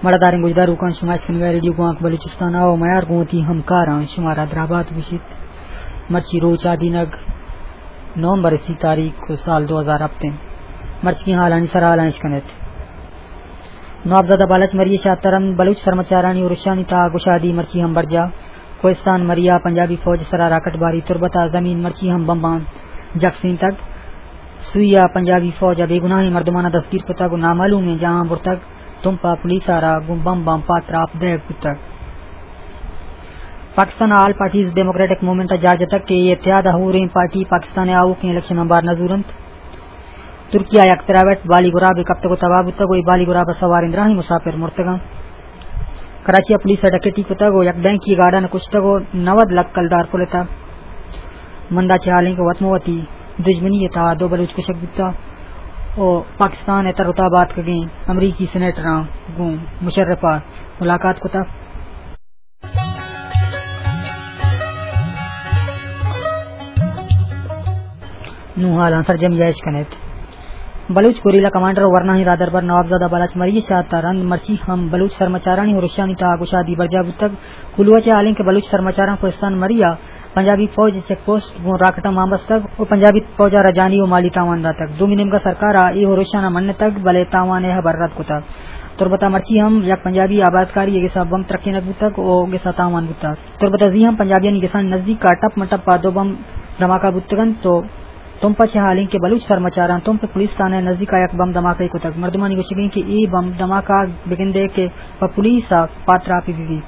مڑداریں گوشداروکاں، شما اشکنگا ریڈیو گوانک بلوچستان ءَ ءُ میار گوں وتی ہمکاراں شمارا درابات گوشیت۔ مرچی روچ آدینگ نومبر سی تاریخ ءُ سال دو ہزار ہپت انت۔ مرچی حالانی سرا حالاں اشکنیت۔ نوابزادہ بالاچ مری ءِ شاترند بلوچ سرمچارانی ارشانی تہا گشادی مرچی ہم برجاہ۔ کوہستان مریا پنجابی فوج سرا راکٹ باری، تربت ءَ زمین مرچی ہم بمباں جکسینتگ۔ سوئی ءَ پنجابی فوج ءَ بے گناہیں مردماناں دستگیر کتگ ءُ نامعلومیں جاہاں برتگ۔ تمپ ءَ پولیس ءَ را گوں بمباں پاتراپ دئیگ بوتگ۔ پاکستان ءَ آل پارٹیز ڈیموکریٹک موومنٹ ءَ جار جتگ کہ اے اتحاد ءَ ہوریں پارٹی پاکستان ءِ آؤکیں الیکشناں بار نہ زورنت۔ ترکیہ ءَ یک پرائیویٹ بالی گرابے کپتگ ءُ تباہ بوتگ ءُ اے بالی گراب ءَ سواریں دراہیں مسافر مرتگاں۔ کراچی ءَ پولیس ءَ ڈکیتی کتگ ءُ یک بینکی گارڈن ءَ کشتگ ءُ نود لکھ کلدار پلتگ۔ مندا چہ حالیں کہ وت مہ وتی دژمنی ءِ تہا دو بلوچ کشگ بوتگ ءُ پاکستان ءِ تر ءُ تاب ءَ آتکگیں امریکی سینیٹراں گوں مشرف ءَ ملاقات کتگ۔ نوں حالاں سرجمی ءَ اشکنیت۔ بلوچ گوریلا کمانڈر ءُ ورناہیں راہدربر نوابزادہ بالاچ مری ءِ شہادت ءَ رند مرچی ہم بلوچ سرمچارانی ارشانی تہا گشادی برجاہ بوتگ۔ کلوہ ءَ چہ حالیں کہ بلوچ سرمچاراں کوہستان مری ءَ پنجابی فوج ءِ چیک پوسٹ گوں راکٹاں مان بستگ ءُ پنجابی فوج ءَ را جانی ءُ مالی تاوان داتگ۔ دومی نیمگ ءَ سرکار ءَ اے ارشاناں منتگ، بلے تاوان ءِ ہبر رد کتگ۔ تربت ءَ مرچی ہم یک پنجابی آبادکاری ءِ گس ءَ بمب ترکینگ بوتگ ءُ گس ءَ تاوان بوتگ۔ تربت ءَ زی ہم پنجابیانی گسانی نزیک ءَ ٹپ مہ ٹپ ءَ دو بمب دھماکہ بوتگ انت ءُ تمپ ءَ چہ حالیں کہ بلوچ سرمچاراں تمپ پولیس تھانہ ءِ نزیک ءَ یک بمب دھماکہ کتگ۔ مردمانی گوشگ انت کہ اے بمب دھماکہ بگندے کہ پہ پولیس ءَ پاتراپے بہ بیت۔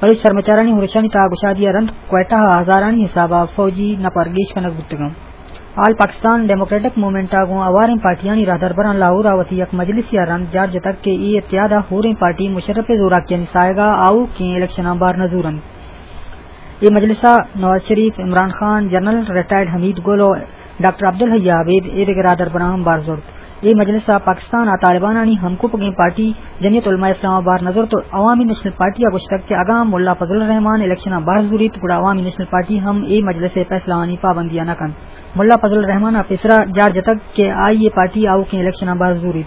بلوچ سرمچارانی ارشانی تہا گشادی ءَ رند کوئٹہ ءَ ہزارانی حساب ءَ فوجی نپر گیش کنگ بوتگ انت۔ آل پاکستان ڈیموکریٹک موومنٹ ءَ گوں ہواریں پارٹیانی راہدربراں لاہور ءَ وتی یک مجلسے ءَ رند جار جتگ کہ اے اتحاد ءَ ہوریں پارٹی مشرف ءِ زوراکیانی ساہگ ءَ آؤکیں الیکشناں بار نہ زورنت۔ اے مجلس ءَ نواز شریف، عمران خان، جنرل ریٹائرڈ حمید گل ءُ ڈاکٹر عبدالحی عابد ءُ دگہ راہدربراں ہم بار زرت۔ اے مجلس ءَ پاکستان ءَ طالبانانی ہمکوپگیں پارٹی جمعیت علماء اسلام ءَ بار نہ زرت ءُ عوامی نیشنل پارٹی ءَ گوشتگ کہ اگاں ملا فضل الرحمان الیکشن ءَ بہر زوریت گڑا عوامی نیشنل پارٹی ہم اے مجلس ءِ فیصلہ آنی پابندی ءَ نہ کنت۔ ملا فضل الرحمان ءَ پیسرا جار جتگ کہ آئی ءِ پارٹی آؤکیں الیکشن ءَ بہر زوریت۔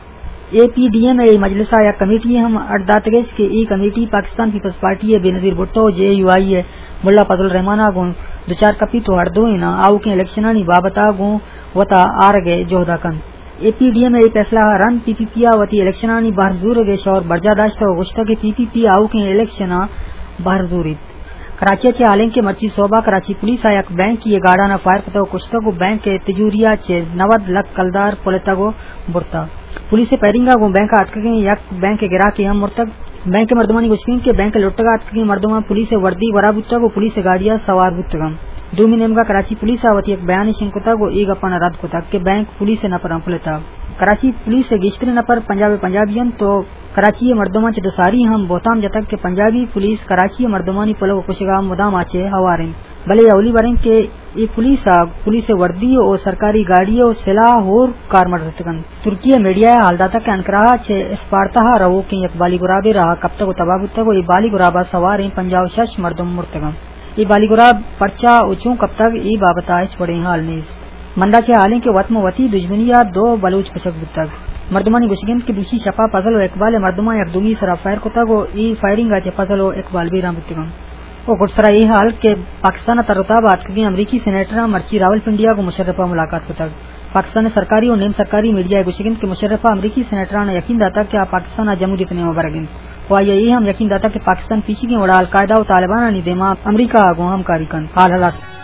اے پی ڈی ایم ءِ اے مجلس ءَ یک کمیٹی ہم اڈ داتگ اش کہ اے کمیٹی پاکستان پیپلز پارٹی ءِ بے نظیر بھٹو ءُ جے یو آئی ءِ ملا فضل الرحمان ءَ گوں دچار کپیت ءُ ہر دوئیناں آؤکیں الیکشنانی بابت ءَ گوں وتا آرگ ءِ جہد ءَ کنت۔ اے پی ڈی ایم ءِ اے پیسلہ ءَ رند پی پی پی ءَ وتی الیکشنانی بہر زورگ ءِ شور برجاہ داشتہ ءُ گوشتگ کہ پی پی پی آؤکیں الیکشناں بہر زوریت۔ کراچی ءَ چہ حالیں کہ مرچی سہب ءَ کراچی پولیس ءَ یک بینکی ءِ گارڈن ءَ فائر کتگ ءُ کشتگ ءُ بینک ءِ تجوری ءَ چہ نود لکھ کلدار پلتگ ءُ برتگ۔ پولیس ءِ فائرنگ ءَ گوں بینک ءَ اتکگیں یک بینک ءِ گراکے ہم مرتگ۔ بینک ءِ مردمانی گوشگ انت کہ بینک ءِ لٹگ ءَ اتکگیں مردماں پولیس ءِ وردی گورا بوتگ ءُ پولیس ءِ گاڑی ءَ سوار بوتگ انت۔ دومی نیمگ ءَ کراچی پولیس ءَ وتی یک بیانے شنگ کتگ ءُ اے گپاں رد کتگ کہ بینک پولیس ءِ نپراں پلتگ۔ کراچی پولیس ءِ گیشتریں نپر پنجاب ءِ پنجابی انت ءُ کراچی ءِ مردماں چہ دو ساری ہم بہتام جتگ کہ پنجابی پولیس کراچی ءِ مردمانی پلگ ءُ کشگ ءَ مدام ءَ چہ ہوار انت، بلے اولی بر انت کہ اے پولیس ءَ پولیس ءِ وردی ءُ سرکاری گاڑی ءُ سلاہ ہور کارمرز اتگ انت۔ ترکی ءِ میڈیا ءَ حال داتگ کہ انقرہ ءَ چہ اسپارتا ءَ روکیں یک بالی گرابے راہ ءَ کپتگ ءُ تباہ بوتگ ءُ اے بالی گراب ءَ سواریں پنجاہ ءُ شش مردم مرتگ انت۔ اے بالی گراب پرچا ءُ چون کپتگ، اے بابت ءَ ہچ وڑیں حال نیست۔ مندا چہ حالیں کہ وت مہ وتی دژمنی ءَ دو بلوچ کشگ بوتگ۔ مردمانی گوشگ انت کہ دوشی شپ ءَ فضل ءُ اقبال ءِ مردماں یک دومی ءِ سرا فائر کتگ ءُ اے فائرنگ ءَ چہ فضل ءُ اقبال بیران بوتگ انت۔ ءُ گڈسرا اے حال کہ پاکستان ءَ تر ءُ تاب ءَ اتکگیں امریکی سینیٹراں مرچی راولپنڈی ءَ گوں مشرف ءَ ملاقات کتگ۔ پاکستان ءِ سرکاری ءُ نیم سرکاری میڈیا ءَ گوشگ انت کہ مشرف ءَ امریکی سینیٹراں یقین داتگ کہ آ پاکستان ءَ جمہوریت ءِ نیم ءَ برگ انت ءُ آئی ءَ اے ہم یقین داتگ کہ پاکستان پیشیگیں وڑ ءَ القاعدہ ءُ طالبانانی دیما امریکہ ءَ گوں ہمکاری کنت۔ حال ہلاس۔